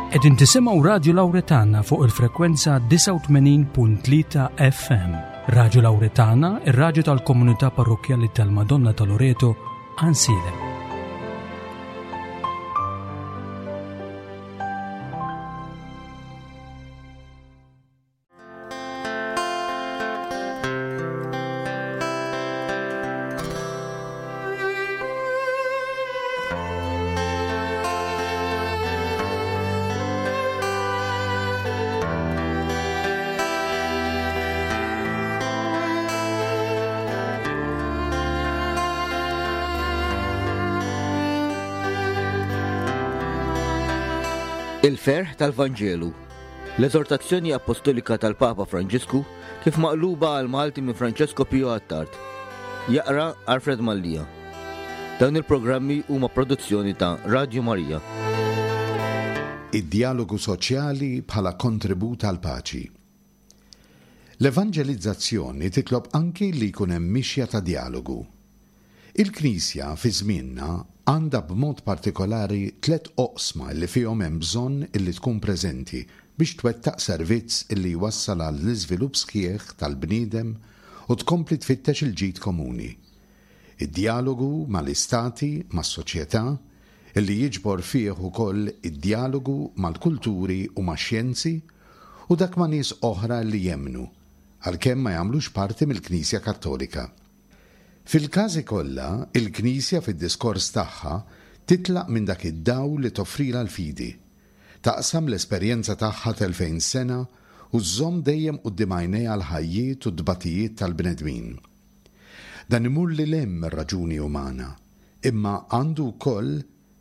Qegħdin tisimgħu Radju Lawretana fuq il-frekwenza 89.3 FM. Radju Lawretana, ir-radju tal-komunità parrokkjali tal-Madonna ta' Loreto, Ansilem. Il-ferħ tal-Vanġelu. L-Eżortazzjoni Appostolika tal-Papa Franġisku kif maqluba għal Malti minn Francesco Pio Attard. Jaqra Alfred Mallia. Dawn il-programmi huma produzzjoni ta' Radio Maria. Id-djalogu soċjali bħala kontribut għall-paċi. L-evanġelizzazzjoni titlob anki li jkun hemm mixja ta' djalogu. Il-Knisja fi żmienna għandha b'mod partikolari tlett oqsma li fihom hemm bżonn illi tkun preżenti biex twettaq servizz illi jwassal għall-iżvilupp sħiħ tal-bniedem u tkompli tfittex il-ġid komuni. Id-djalogu mal-istati, mas-soċjetà, illi jiġbor fih ukoll id-djalogu mal-kulturi u max-xjenzi, u dak ma' nies oħra li jemmnu, għalkemm ma jagħmlux parti mill-Knisja Kattolika. Fil-każi kollha, il-Knisja fid-diskors tagħha titlaq minn dak id-dawl li toffrilha l-fidi. Taqsam l-esperjenza tagħha t'elfejn sena u żżomm dejjem quddiem għajnejha l-ħajjiet u t-tbatijiet tal-bnedmin. Dan imur lil hemm mir-raġuni umana, imma għandu wkoll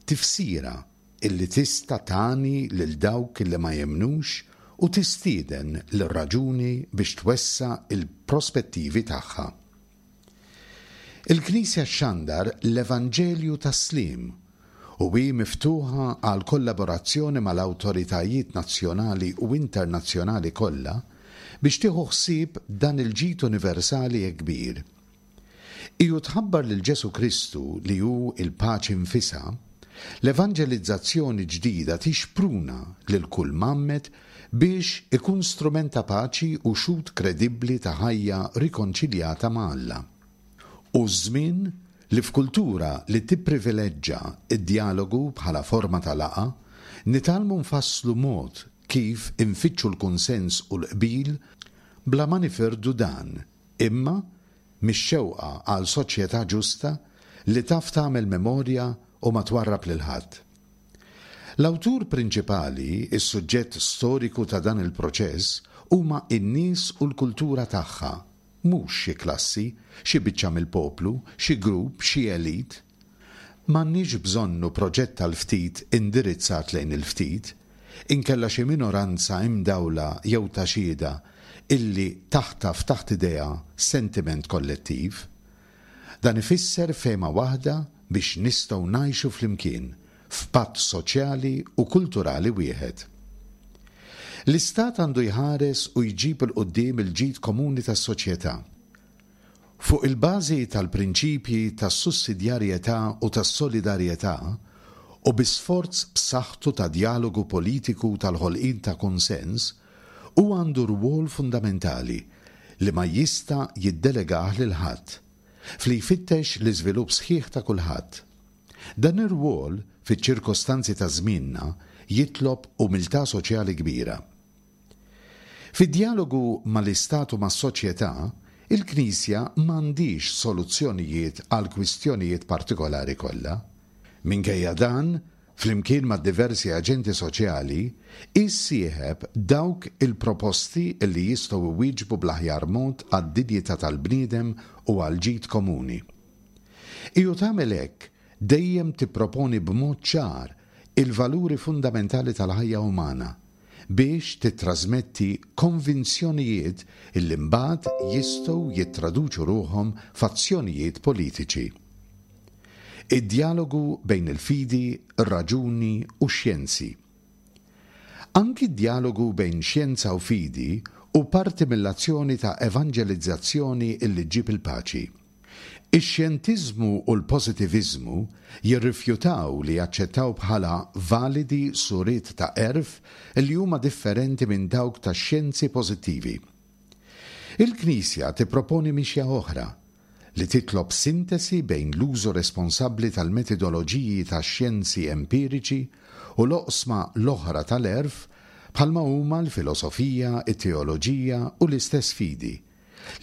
tifsira illi tista' tagħni lil dawk illi ma jemmnux u tistieden lir-raġuni biex twessa' l-prospettivi tagħha. Il-Knisja xxandar l-Evanġelju tas-sliem u hi miftuħa għal kollaborazzjoni mal-awtoritajiet nazzjonali u internazzjonali kollha biex tieħu ħsieb dan il-ġid universali hekk kbir. Hi u tħabbar lil Ġesù Kristu li hu l-paċi nfisha, l-evanġelizzazzjoni ġdida tixpruna lil kull mgħammed biex ikun strument ta' paċi u xhud kredibbli ta' ħajja rikonċiljata ma' Alla. Hu ż-żmien li f'kultura li tipprivileġġa d-djalogu bħala forma ta' laqgħa, nitgħallmu nfasslu mod kif infittxu l-kunsens u l-qbil bla ma nifirdu dan imma mix-xewqa għal soċjetà ġusta li taf tagħmel memorja u ma twarrab lil ħadd. L-awtur prinċipali, is-suġġett storiku ta' dan il-proċess, huma n-nies u l-kultura tagħha, mhux xi klassi, xi biċċa mill-poplu, xi grupp, xi elite. M'għandniex bżonnu proġett tal-ftit indirizzat lejn il-ftit, inkella xi minoranza imdawla jew ta' xhieda illi taħtaf taħt idejha sentiment kollettiv. Dan ifisser fehma waħda biex nistgħu ngħixu flimkien f'patt soċjali u kulturali wieħed. L-Istat għandu jħares u jġib 'il quddiem il-ġid komuni tas-soċjetà. Fuq il-bażi tal-prinċipji tas-sussidjarjetà u tas-solidarjetà, u bi sforz b'saħħtu ta' djalogu politiku u tal-ħolqien ta' kunsens, hu għandu rwol fundamentali, li ma jista' jiddelegah lil ħadd, f'li jfittex l-iżvilupp sħiħ ta' kulħadd. Dan ir-rwol, fiċ-ċirkostanzi ta' żmienna, jitlob umiltà soċjali kbira. Fid-djalogu mal-Istat u mas-soċjetà, il-Knisja m'għandhiex soluzzjonijiet għall-kwistjonijiet partikolari kollha. Minkejja dan, flimkien ma' diversi aġenti soċjali, hi ssieħeb dawk il-proposti li jistgħu jwieġbu bl-aħjar mod għad-dinjità tal-bniedem u għall-ġid komuni. Hi u tagħmel hekk, dejjem tipproponi b'mod ċar il-valuri fundamentali tal-ħajja umana, biex tittrażmetti konvinzjonijiet illi mbagħad jistgħu jittraduċu ruħhom f'azzjonijiet politiċi. Id-djalogu bejn il-fidi, ir-raġuni u x-xjenzi. Anki d-djalogu bejn xjenza u fidi hu parti mill-azzjoni ta' evanġelizzazzjoni illi ġġib il-paċi. Ix-xjentiżmu u l-pożitiviżmu jirrifjutaw li jaċċettaw bħala validi suriet ta' għerf li huma differenti minn dawk tax-xjenzi pożittivi. Il-Knisja tipproponi mixja oħra, li titlob sintesi bejn l-użu responsabbli tal-metidoloġiji tax-xjenzi empiriċi u l-oqsma l-oħra tal-għerf bħalma huma l-filosofija, it-teoloġija u l-istess fidi,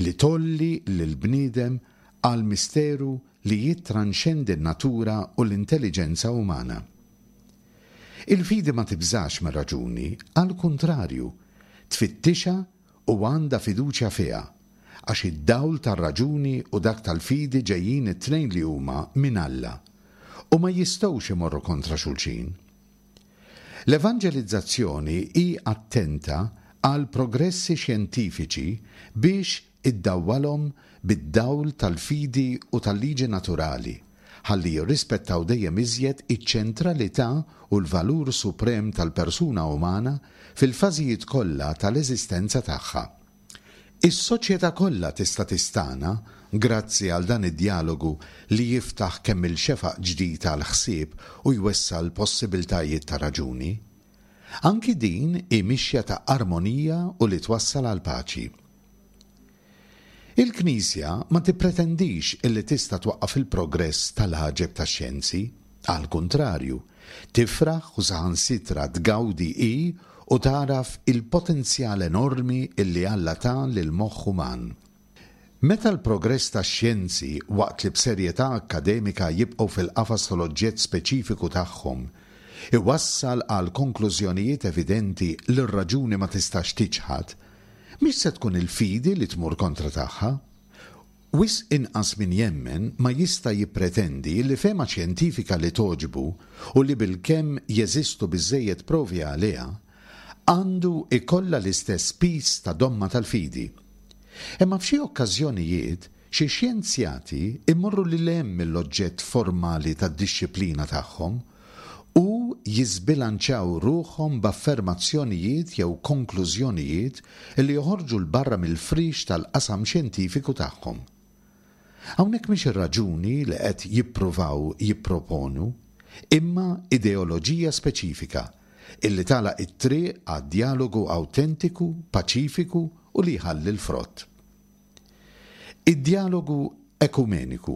li tgħolli lill-bniedem għal misteru li jittranxendi n-natura u l-intelliġenza umana. Il-fidi ma tibżax mir-raġuni, għall-kuntrarju, tfittixha u għandha fiduċja fiha, għax id-dawl tar-raġuni u dak tal-fidi ġejjin it-tnejn li huma minn Alla, u ma jistgħux imorru kontra xulxin. L-evanġelizzazzjoni hi attenta għall-progressi xjentifiċi biex iddawwalhom bid-dawl tal-fidi u tal-liġi naturali, ħalli jirrispettaw dejjem iżjed iċ-ċentralità u l-valur suprem tal-persuna umana fil-fażijiet kollha tal-eżistenza tagħha. Is-soċjetà kollha tista' tistagħna grazzi għal dan id-djalogu li jiftaħ kemm-il xefaq ġdid għall-ħsieb u jwessa' l-possibiltajiet ta' raġuni. Anki din hi mixja ta' armonija u li twassal għall-paċi. Il-Knisja ma tippretendix illi tista' twaqqaf il-progress tal-għaġeb tax-xjenzi. Għall-kuntrarju, tifraħ u saħansitra tgawdi hi u tagħraf il-potenzjal enormi illi Alla ta lill-moħħ uman. Meta l-progress tax-xjenzi, waqt li b'serjetà akkademika jibqgħu fil-qafas tal-oġġett speċifiku tagħhom, iwassal għal konklużjonijiet evidenti li r-raġuni ma tistax tiċħad, Mhix se tkun il-fidi li tmur kontra tagħha. Wisq inqas min jemmen ma jista' jippretendi li fehma xjentifika li togħġbu u li bilkemm jeżistu biżżejjed provi għaliha, għandu jkollha l-istess piż ta' domma tal-fidi. Imma f'xi okkażjonijiet, xi xjenzjati jmorru lil hemm mill-oġġett formali tad-dixxiplina tagħhom u jiżbilanċjaw ruħhom b'affermazzjonijiet jew konklużjonijiet li joħorġu 'l barra mill-friex tal-qasam xjentifiku tagħhom. Hawnhekk mhix ir-raġuni li qed jippruvaw jipproponu, imma ideoloġija speċifika illi tagħlaq it-triq għad-djalogu awtentiku, paċifiku u li jħalli l-frott. Id-djalogu ekumeniku.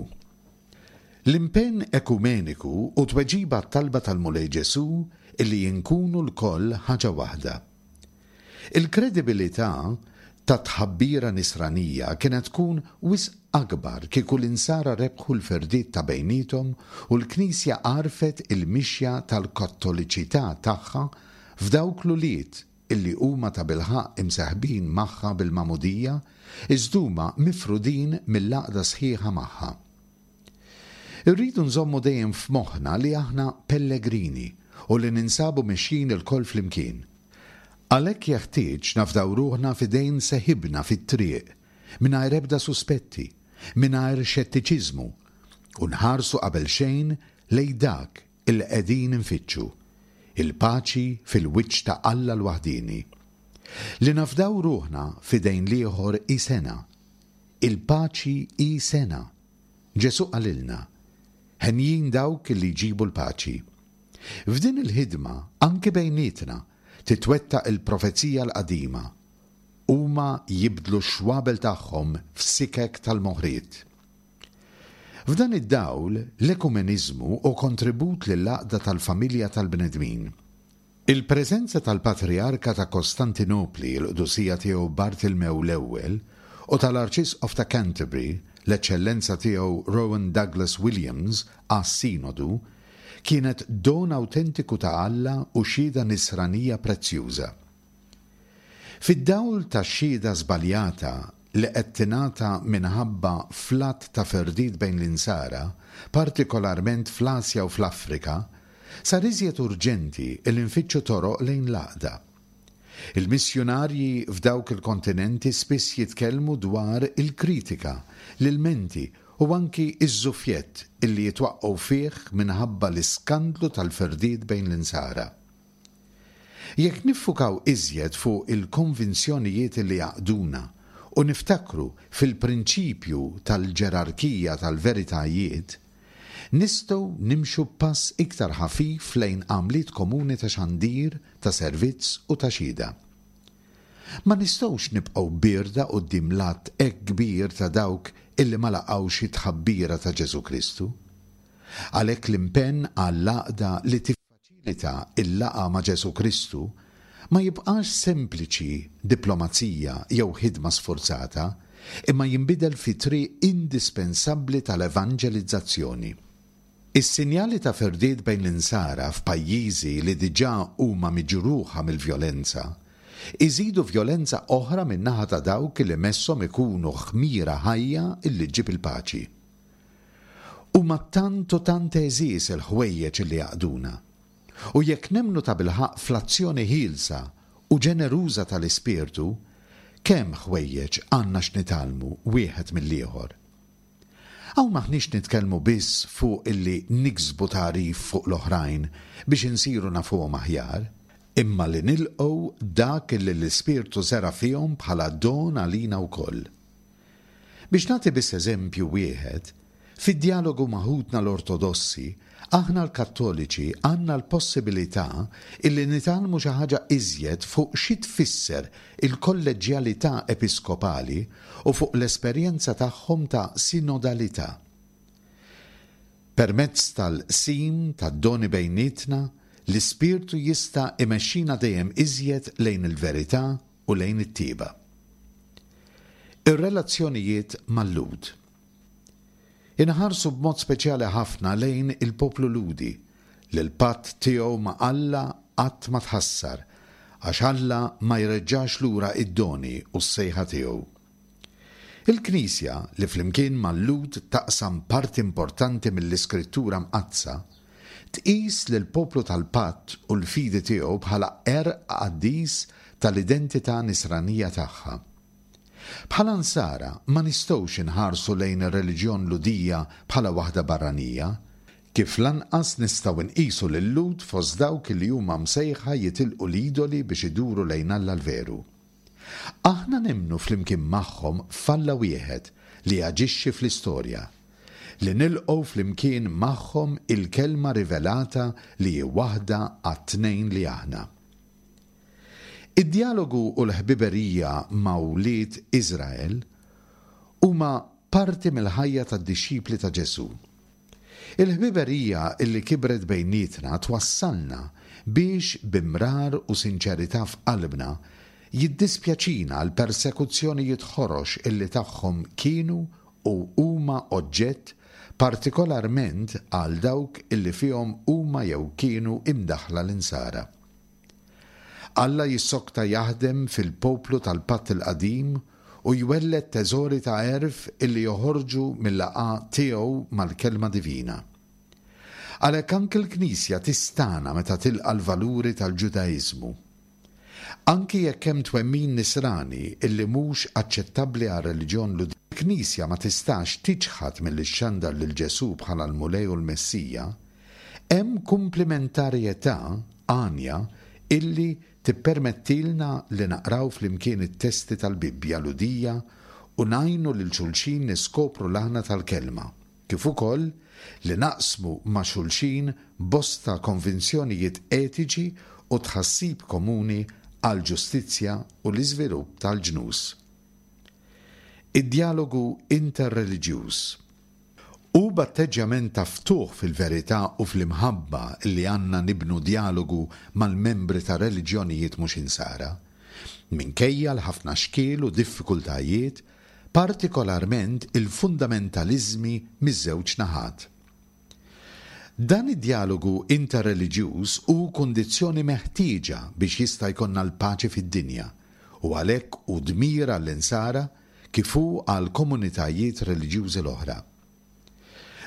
L-impenn ekumeniku hu tweġiba għat-talba tal-Mulej Ġesù illi inkunu lkoll ħaġa waħda. Il-kredibilità tat-tħabbira nisranija kienet tkun wisq akbar kieku l-insara rebħu l-firdiet ta' bejniethom u l-Knisja għarfet il-mixja tal-kattoliċità tagħha f'dawk l-ulied illi huma tabilħaqq imseħbin magħha bil-magħmudija, iżda huma mifrudin mill-għaqda sħiħa magħha. Irridu nżommu dejjem f'moħħna li aħna pellegrini u li ninsabu mexjin ilkoll flimkien. Għalhekk jeħtieġ nafdaw ruħna f'idejn seħibna fit-triq, mingħajr ebda suspetti, mingħajr xettiċiżmu, u nħarsu qabelxejn lejn dak illi qegħdin infittxu, il-paċi fil-wiċċ ta' Alla l-waħdieni. Li nafdaw ruħna f'idejn l-ieħor hi sengħa. Il-paċi hi sengħa. Ġesù qalilna, Henjin dawk illi jġibu l-paċi. F'din il-ħidma, anki bejnietna, titwettaq il-profezija l-qadima, Huma jibdlu x-xwabel tagħhom f'sikek tal-moħriet. F'dan id-dawl, l-ekumeniżmu hu kontribut lill-għaqda tal-familja tal-bnedmin. Il-preżenza tal-Patrijarka ta' Kostantinopli, il-Qdusija Tiegħu Bartilmew l-Ewwel, u tal-Arċisqof ta' Canterbury, l-Eċċellenza Tiegħu Rowan Douglas Williams, għas-Sinodu, kienet don awtentiku ta' Alla u xhieda nisranija prezzjuża. Fid-dawl tax-xhieda żbaljata li qed tingħata minħabba fl-għadd ta' firdiet bejn l-Insara, partikolarment fl-Asja u fl-Afrika, sar iżjed urġenti li nfittxu toroq lejn l-għaqda. Il-missjunarji f'dawk il-kontinenti spiss jitkellmu dwar il-kritika, l-ilmenti u anki ż-żuffjett illi jitwaqqgħu fih minħabba l-iskandlu tal-firdiet bejn l-Insara. Jekk niffukaw iżjed fuq il-konvinzjonijiet li jgħaqqduna u. u niftakru fil-prinċipju tal-ġerarkija tal-veritajiet, nistgħu nimxu b'pass iktar ħafif lejn għamliet komuni ta' xandir, ta' servizz u ta' xhieda. Ma nistgħux nibqgħu bierda quddiem l-għadd hekk kbir ta' dawk illi ma laqgħux it-tħabbira ta' Ġesù Kristu. Għalhekk l-impenn għall-għaqda li tiffaċilita l-laqgħa ma' Ġesù Kristu ma jibqax sempliċi diplomazija jew ħidma sfurzata, imma jinbidel fi triq indispensabbli tal-evanġelizzazzjoni. Is-sinjali ta' firdiet bejn l-Insara f'pajjiżi li diġà huma miġruħa mill-vjolenza, iżidu vjolenza oħra min-naħa ta' dawk li messhom ikunu ħmira ħajja li ġġib il-paċi. Huma tant u tant għeżież il-ħwejjeġ li jgħaqqduna. U jekk nemmnu tabilħaqq fl-azzjoni ħielsa u ġeneruża tal-Ispirtu, kemm ħwejjeġ għandna x'nitgħallmu wieħed mill-ieħor! Hawn m'aħniex nitkellmu biss fuq illi niksbu tagħrif fuq l-oħrajn biex insiru nafuhom aħjar, imma li nilqgħu dak illi l-Ispirtu żera' fihom bħala don għalina wkoll. Biex nagħti biss eżempju wieħed, fid-djalogu ma' ħutna l-Ortodossi, aħna l-Kattoliċi għandna l-possibilità illi nitgħallmu xi ħaġa iżjed fuq xi tfisser il-kolleġġjalità episkopali u fuq l-esperjenza tagħhom ta' sinodalità. Permezz tal-qsim tad-doni bejnietna, l-Ispirtu jista' imexxina dejjem iżjed lejn il-verità u lejn it-tjieba. Ir-relazzjonijiet mal-Lhud. Inħarsu b'mod speċjali ħafna lejn il-poplu Lhudi, li l-patt tiegħu ma' Alla qatt ma tħassar, għax Alla ma jreġġax lura id-doni u s-sejħa tiegħu. Il-Knisja, li flimkien mal-Lhud taqsam parti importanti mill-Iskrittura Mqaddsa, tqis lill-poplu tal-patt u l-fidi tiegħu bħala għerq qaddis tal-identità Nisranija tagħha. Bħala Nsara ma nistgħux inħarsu lejn ir-reliġjon Lhudija bħala waħda barranija, kif lanqas nistgħu nqisu lil-Lhud fost dawk li huma msejħa jitilqu l-idoli biex iduru lejn Alla l-veru. Aħna nemmnu flimkien magħhom f'Alla wieħed li jaġixxi fl-istorja, li nilqgħu flimkien magħhom il-Kelma rivelata li hi waħda għat-tnejn li aħna. Id-djalogu u l-ħbiberija ma' wlied Iżrael huma parti mill-ħajja tad-dixxipli ta' Ġesù. Il-ħbiberija li kibret bejnietna twassalna biex bi mrar u sinċerità f'qalbna jiddispjaċina għall-persekuzzjonijiet ħorox illi tagħhom kienu u huma oġġett partikolarment għal dawk illi fihom huma jew kienu imdaħħla l-Insara. Alla jissokta jaħdem fil-poplu tal-Patt il-Qadim u jwelled teżori ta' għerf illi joħorġu mil-laqgħa tiegħu mal-Kelma Divina. Għalhekk anki l-Knisja tistagħna meta tilqa' l-valuri tal-Ġudaiżmu. Anki jekk hemm twemmin Nisrani illi mhux aċċettabbli għar-reliġjon Lhudija, il-Knisja ma tistax tiċħad milli xxandar lil Ġesù bħala l-Mulej u l-Messija, Hemm kumplimentarjetà għanja illi tippermettilna li naqraw flimkien it-testi tal-Bibbja Lhudija u ngħinu lil xulxin niskopru l-aħna tal-Kelma, kif ukoll li naqsmu ma' xulxin bosta konvinzjonijiet etiċi u tħassib komuni għall-ġustizzja u l-iżvilupp tal-ġnus. Id-djalogu interreliġjuż. Hu b'atteġġjament ta' ftuħ fil-verità u fl-imħabba li għandna nibnu djalogu mal-membri ta' reliġjonijiet mhux Insara, minkejja l-ħafna xkiel u diffikultajiet, partikolarment il-fundamentaliżmi miż-żewġ naħat. Dan id-djalogu interreliġjuż hu kundizzjoni meħtieġa biex jista' jkollna l-paċi fid-dinja u għalhekk hu dmir għall-Insara kif hu għall-komunitajiet reliġjużi l-oħra.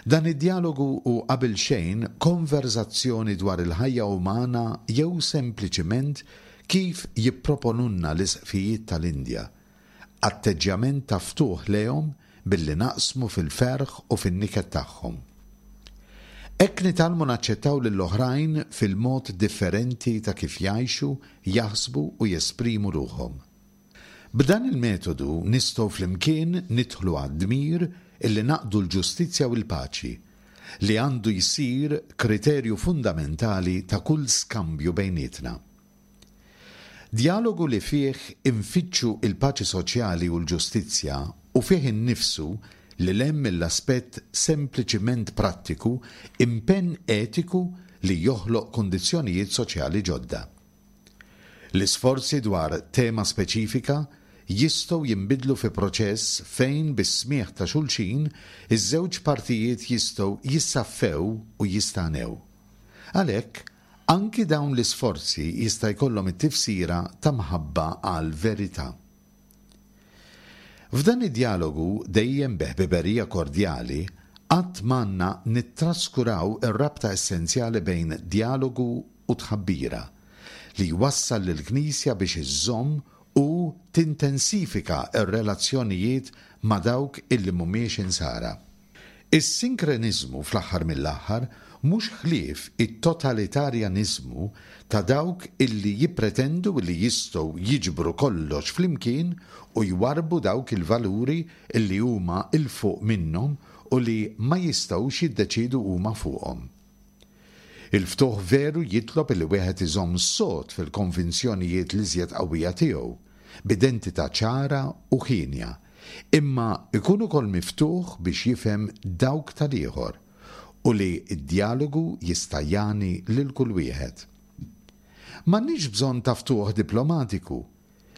Dan id-djalogu hu qabelxejn konverżazzjoni dwar il-ħajja umana jew sempliċiment kif jipproponulna l-isqfijiet tal-Indja, atteġġjament ta' ftuħ lejhom billi naqsmu fil-ferħ u fin-niket tagħhom. Hekk nitgħallmu naċċettaw lill-oħrajn fil-mod differenti ta' kif jgħixu, jaħsbu u jesprimu ruħhom. B'dan il-metodu nistgħu flimkien nidħlu għad-dmir illi naqdu l-ġustizzja u l-paċi, li għandu jsir kriterju fundamentali ta' kull skambju bejnietna. Djalogu li fih infittxu l-paċi soċjali u l-ġustizzja u fih innifsu, lil hemm mill-aspett sempliċiment prattiku, impenn etiku li joħloq kundizzjonijiet soċjali ġodda. L-isforzi dwar tema speċifika jistgħu jinbidlu fi proċess fejn bis-smigħ ta' xulxin iż-żewġ partijiet jistgħu jissaffew u jistagħnew. Għalhekk, anki dawn l-isforzi jista' jkollhom it-tifsira ta' mħabba għall-verità. F'dan id-djalogu, dejjem bi ħbiberija kordjali, qatt m'għandna nittraskuraw ir-rabta essenzjali bejn djalogu u tħabbira, li jwassal lill-Knisja biex iżżomm u tintensifika r-relazzjonijiet ma' dawk illi mhumiex Insara. Is-sinkreniżmu fl-aħħar mill-aħħar mhux ħlief it-totalitarjaniżmu ta' dawk illi jippretendu illi jistgħu jiġbru kollox flimkien u jwarrbu dawk il-valuri illi huma 'l fuq minnhom u li ma jistgħux jiddeċiedu huma fuqhom. Il-ftuħ veru jitlob illi wieħed iżomm sod fil-konvinzjonijiet l-iżjed qawwija tiegħu, b'identità ċara u hienja, imma jkun ukoll miftuħ biex jifhem dawk tal-ieħor u li d-djalogu jista' jagħni lil kull wieħed. M'għandniex bżonn ta' ftuħ diplomatiku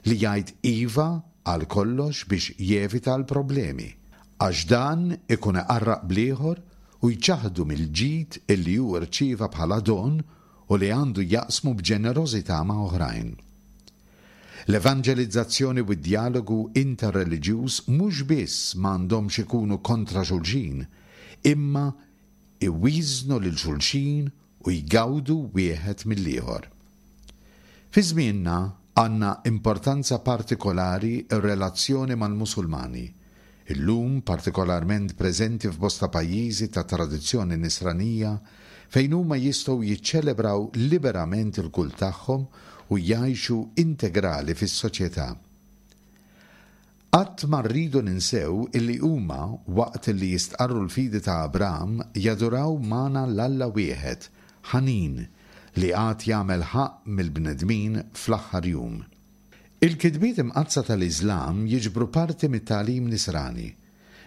li jgħid iva għal kollox biex jevita l-problemi, għax dan ikun iqarraq bl-ieħor u jċaħħdu mill-ġid illi hu rċieva bħala don u li għandu jaqsmu b'ġenerożità ma' oħrajn. L-evanġelizzazzjoni u d-djalogu interreliġjuż mhux biss m'għandhomx ikunu kontra xulxin, imma iwieżnu lil xulxin u jgawdu wieħed mill-ieħor. Fi żmienna għandna importanza partikolari r-relazzjoni mal-Musulmani, illum partikolarment preżenti f'bosta pajjiżi ta' tradizzjoni Nisranija fejn huma jistgħu jiċċelebraw liberament il-kult tagħhom u jgħixu integrali fis-soċjetà. Qatt ma rridu ninsew illi huma, waqt li jistqarru l-fidi ta' Abram, jaduraw magħna l-Alla wieħed, ħanin, li għad jagħmel ħaqq mill-bnedmin fl-aħħar jum. Il-kitbiet imqaddsa tal-Iżlam jiġbru parti mit-tagħlim Nisrani.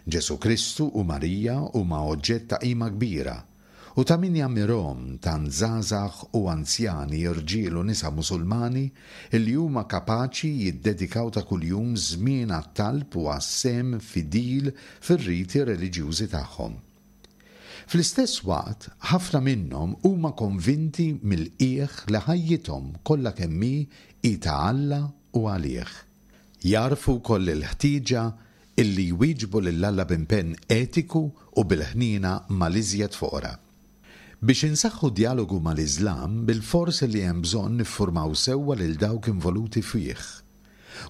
Ġesù Kristu u Marija huma oġġett ta' qima kbira, u ta' min jammirhom tant żgħażagħ u anzjani, irġiel u nisa Musulmani li huma kapaċi jiddedikaw ta' kuljum żmien għat-talb u għas-sehem fidil fir-riti reliġjużi tagħhom. Fl-istess waqt, ħafna minnhom huma konvinti mill-qiegħ li ħajjithom kollha kemm hi hi ta' Alla u għalih. Jagħrfu wkoll il-ħtieġa illi jwieġbu lil Alla b'impenn etiku u bil-ħniena mal-iżjed foqra. Biex insaħħu d-djalogu mal-Iżlam, bilfors li hemm bżonn niffurmaw sewwa lil dawk involuti fih.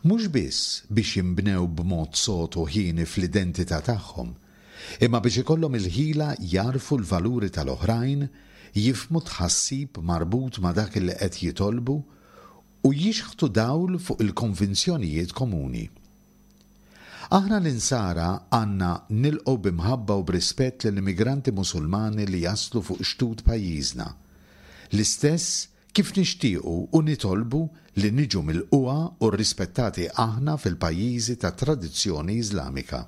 Mhux biss biex jinbnew b'mod sod u hieni fl-identità tagħhom, imma biex ikollhom il-ħila jagħrfu l-valuri tal-oħrajn, jifhmu t-tħassib marbut ma' dak li qed jitolbu u jixħtu dawl fuq il-konvinzjonijiet komuni. Aħna l-Insara għandna nilqgħu bi mħabba u b'rispett lill-immigranti Musulmani li jaslu fuq xtut pajjiżna, l-istess kif nixtiequ u nitolbu li niġu milqugħa u rrispettati aħna fil-pajjiżi ta' tradizzjoni Iżlamika.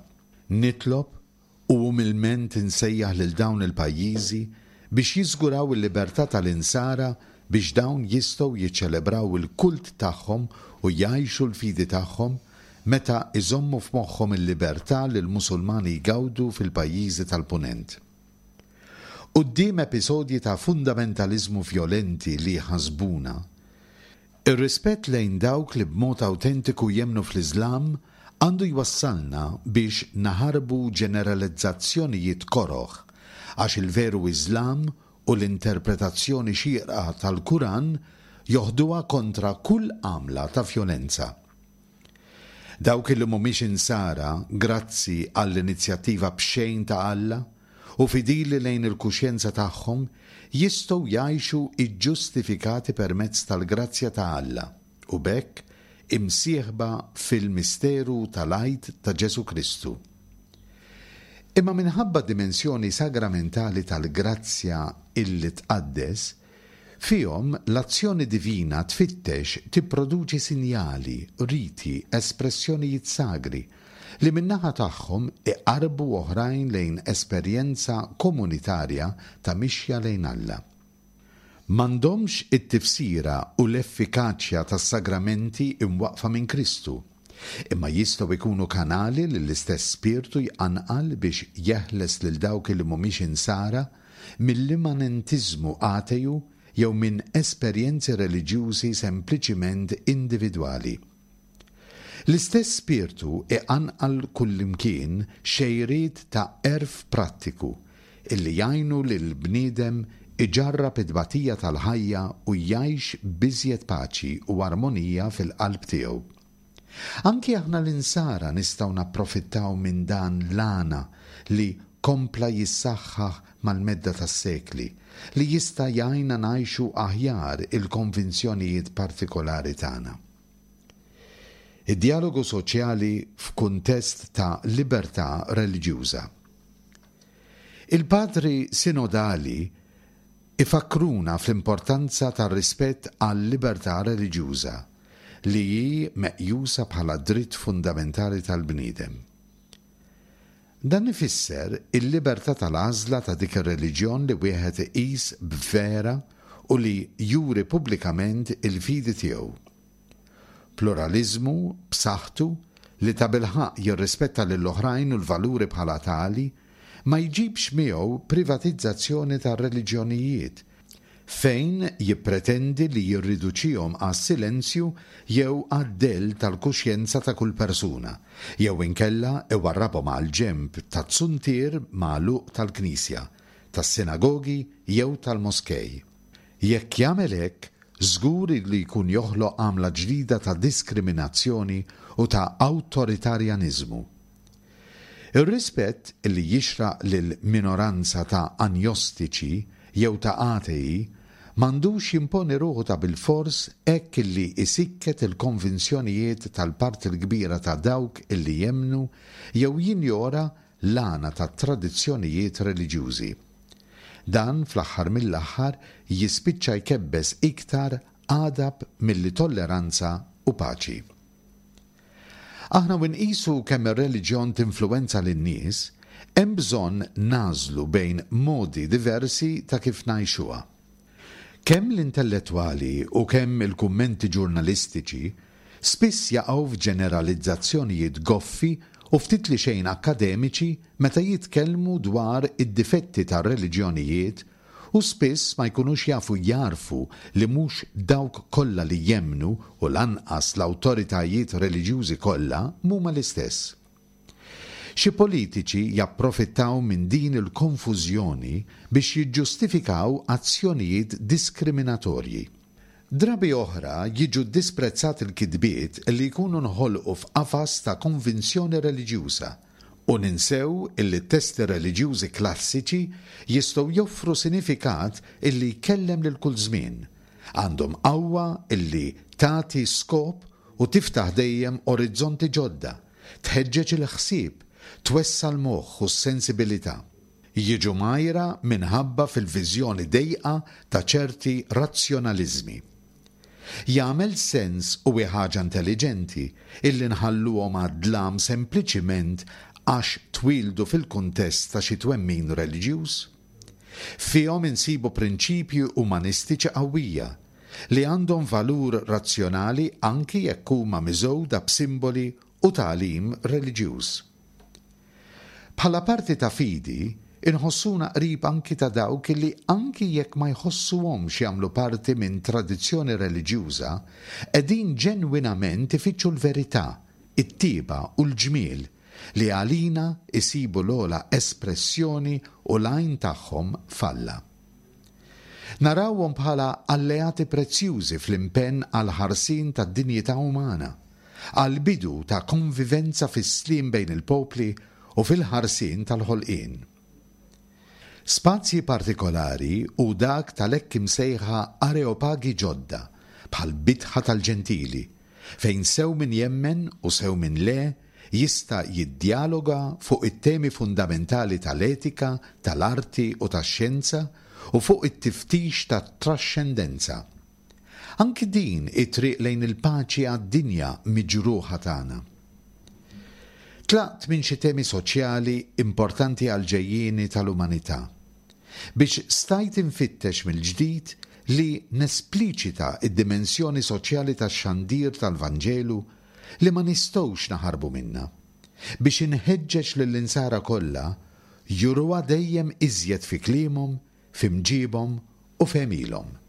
Nitlob u umilment insejjaħ lil dawn il-pajjiżi biex jiżguraw il-libertà tal-Insara biex dawn jistgħu jiċċelebraw il-kult tagħhom u jgħixu l-fidi tagħhom meta iżommu f'moħħhom il-libertà li l-Musulmani jgawdu fil-pajjiżi tal-Punent. Quddiem episodji ta' fundamentaliżmu vjolenti li jħassbuna, Ir-rispett lejn dawk li b'mod awtentiku jemmnu fl-Iżlam għandu jwassalna biex naħarbu ġeneralizzazzjonijiet koroh, għax il-veru Iżlam u l-interpretazzjoni xierqa tal-Kuran joħduha kontra kull għamla ta' vjolenza. Dawk li mhumiex Insara, grazzi għall-inizjattiva b'xejn ta' Alla, u fidili lejn il-kuxjenza tagħhom, jistgħu jgħixu ġġustifikati permezz tal-grazzja ta' Alla, u b'hekk imsieħba fil-misteru tal-Għid ta' Ġesù Kristu. Imma minħabba d-dimensjoni sagramentali tal-grazzja illi tqaddes, fihom l-azzjoni divina tfittex tipproduċi sinjali, riti, espressjonijiet sagri, li min-naħa tagħhom iqarrbu oħrajn lejn esperjenza komunitarja ta' mixja lejn Alla. M'għandhomx it-tifsira u l-effikaċja tas-sagramenti imwaqqfa minn Kristu, imma jistgħu jkunu kanali li l-istess Spirtu jqanqal biex jeħles lil dawk li mhumiex Insara mill-immanentiżmu ateju jew minn esperjenzi reliġjużi sempliċiment individwali. L-istess Spirtu iqanqal kullimkien xejriet ta' għerf prattiku illi jgħinu lill-bniedem iġarrab it-tbatija tal-ħajja u jgħix b'iżjed paċi u armonija fil-qalb tiegħu. Anki aħna l-Insara nistgħu napprofittaw minn dan l-għana li kompla jissaħħaħ mal-medda tas-sekli, li jista' jgħinna ngħixu aħjar il-konvinzjonijiet partikolari tagħna. Id-djalogu soċjali f'kuntest ta' libertà reliġjuża. Il-Padri Sinodali ifakkruna fl-importanza tar-rispett għal-libertà reliġjuża, li hi meqjusa bħala dritt fundamentali tal-bniedem. Dan ifisser il-libertà tal-għażla ta' dik ir-reliġjon li wieħed iqis b'vera u li juri pubblikament il-fidi tiegħu. Pluraliżmu b'saħħtu li tabilħaqq jirrispetta lill-oħrajn u l-valuri bħala tali, ma jġibx miegħu privatizzazzjoni tar-reliġjonijiet, fejn jippretendi li jirriduċihom għas-silenzju jew għad-dell tal-kuxjenza ta' kull persuna, jew inkella iwarrabhom għall-ġenb taz-zuntier magħluq tal-knisja, tas-sinagogi jew tal-moskej. Jekk jagħmel hekk, żgur li jkun joħloq għamla ġdida ta' diskriminazzjoni u ta' awtoritarjaniżmu. Ir-rispett li jixraq lil minoranza ta' anjostiċi jew ta' atei m'għandux jimponi ruħu ta' bilfors hekk illi isikket il-konvinzjonijiet tal-parti l-kbira ta' dawk illi jemmnu jew jinjora l-għana tat-tradizzjonijiet reliġjużi. Dan fl-aħħar mill-aħħar jispiċċa jkebbes iktar għadab milli tolleranza u paċi. Aħna u nqisu kemm ir-reliġjon tinfluwenza lin-nies, hemm bżonn nagħżlu bejn modi diversi ta' kif ngħixuha. Kemm l-intellettwali u kemm il-kummenti ġurnalistiċi spiss jaqgħu f'ġeneralizzazzjonijiet goffi u ftit li xejn akkademiċi meta jitkellmu dwar id-difetti tar-reliġjonijiet u spiss ma jkunux jafu jagħrfu li mhux dawk kollha li jemmnu u lanqas l-awtoritajiet reliġjużi kollha m'huma l-istess. Xi politiċi japprofittaw minn din il-konfużjoni biex jiġġustifikaw azzjonijiet diskriminatorji. Drabi oħra jiġu ddisprezzati l-kitbiet li jkunu nħolqu f'qafas ta' konvinzjoni reliġjuża, U ninsew illi t-testi reliġjużi klassiċi jistgħu joffru sinifikat illi jkellem lil kull żmien. Għandhom qawwa illi tagħti skop u tiftaħ dejjem orizzonti ġodda, tħeġġeġ il-ħsieb, twessa' l-moħħ u s-sensibilità. Jiġu mgħajra minħabba fil-viżjoni dejqa ta' ċerti razzjonaliżmi. Jagħmel sens u hi ħaġa intelliġenti illi nħalluhom għad-dlam sempliċiment għax twieldu fil-kuntest ta' xi twemmin reliġjuż? Fihom insibu prinċipji umanistiċi qawwija, li għandhom valur razzjonali anki jekk huma miżgħuda b'simboli u tagħlim reliġjuż. Bħala parti ta' fidi, inħossuna qrib anki ta' dawk li anki jekk ma jħossuhomx jagħmlu parti minn tradizzjoni reliġjuża, qegħdin ġenwinament ifittxu l-verità, it-tjieba u l-ġmiel, li għalina jsibu l-ogħla espressjoni u l-għajn tagħhom f'Alla. Narawhom bħala alleati prezzjużi fl-impenn għall-ħarsien tad-dinjità umana, għall-bidu ta' konvivenza fis-sliem bejn il-popli u fil-ħarsien tal-ħolqien. Spazji partikolari hu dak tal-hekk imsejħa areopagi ġodda, bħall-Bitħa tal-Ġentili, fejn sew min jemmen u sew min le jista' jiddjaloga fuq it-temi fundamentali tal-etika, tal-arti u tax-xjenza u fuq it-tiftix tat-traxxendenza. Anki din hi triq lejn il-paċi għad-dinja miġruħa tagħna. Tlaqt minn xi temi soċjali importanti għall-ġejjieni tal-umanità, biex stajt infittex mill-ġdid li nespliċita d-dimensjoni soċjali tax-xandir tal-Vanġelu li ma nistgħux naħarbu minnha, biex inħeġġeġ lill-Insara kollha juruha dejjem iżjed fi kliemhom, fi mġiebhom u f'għemilhom.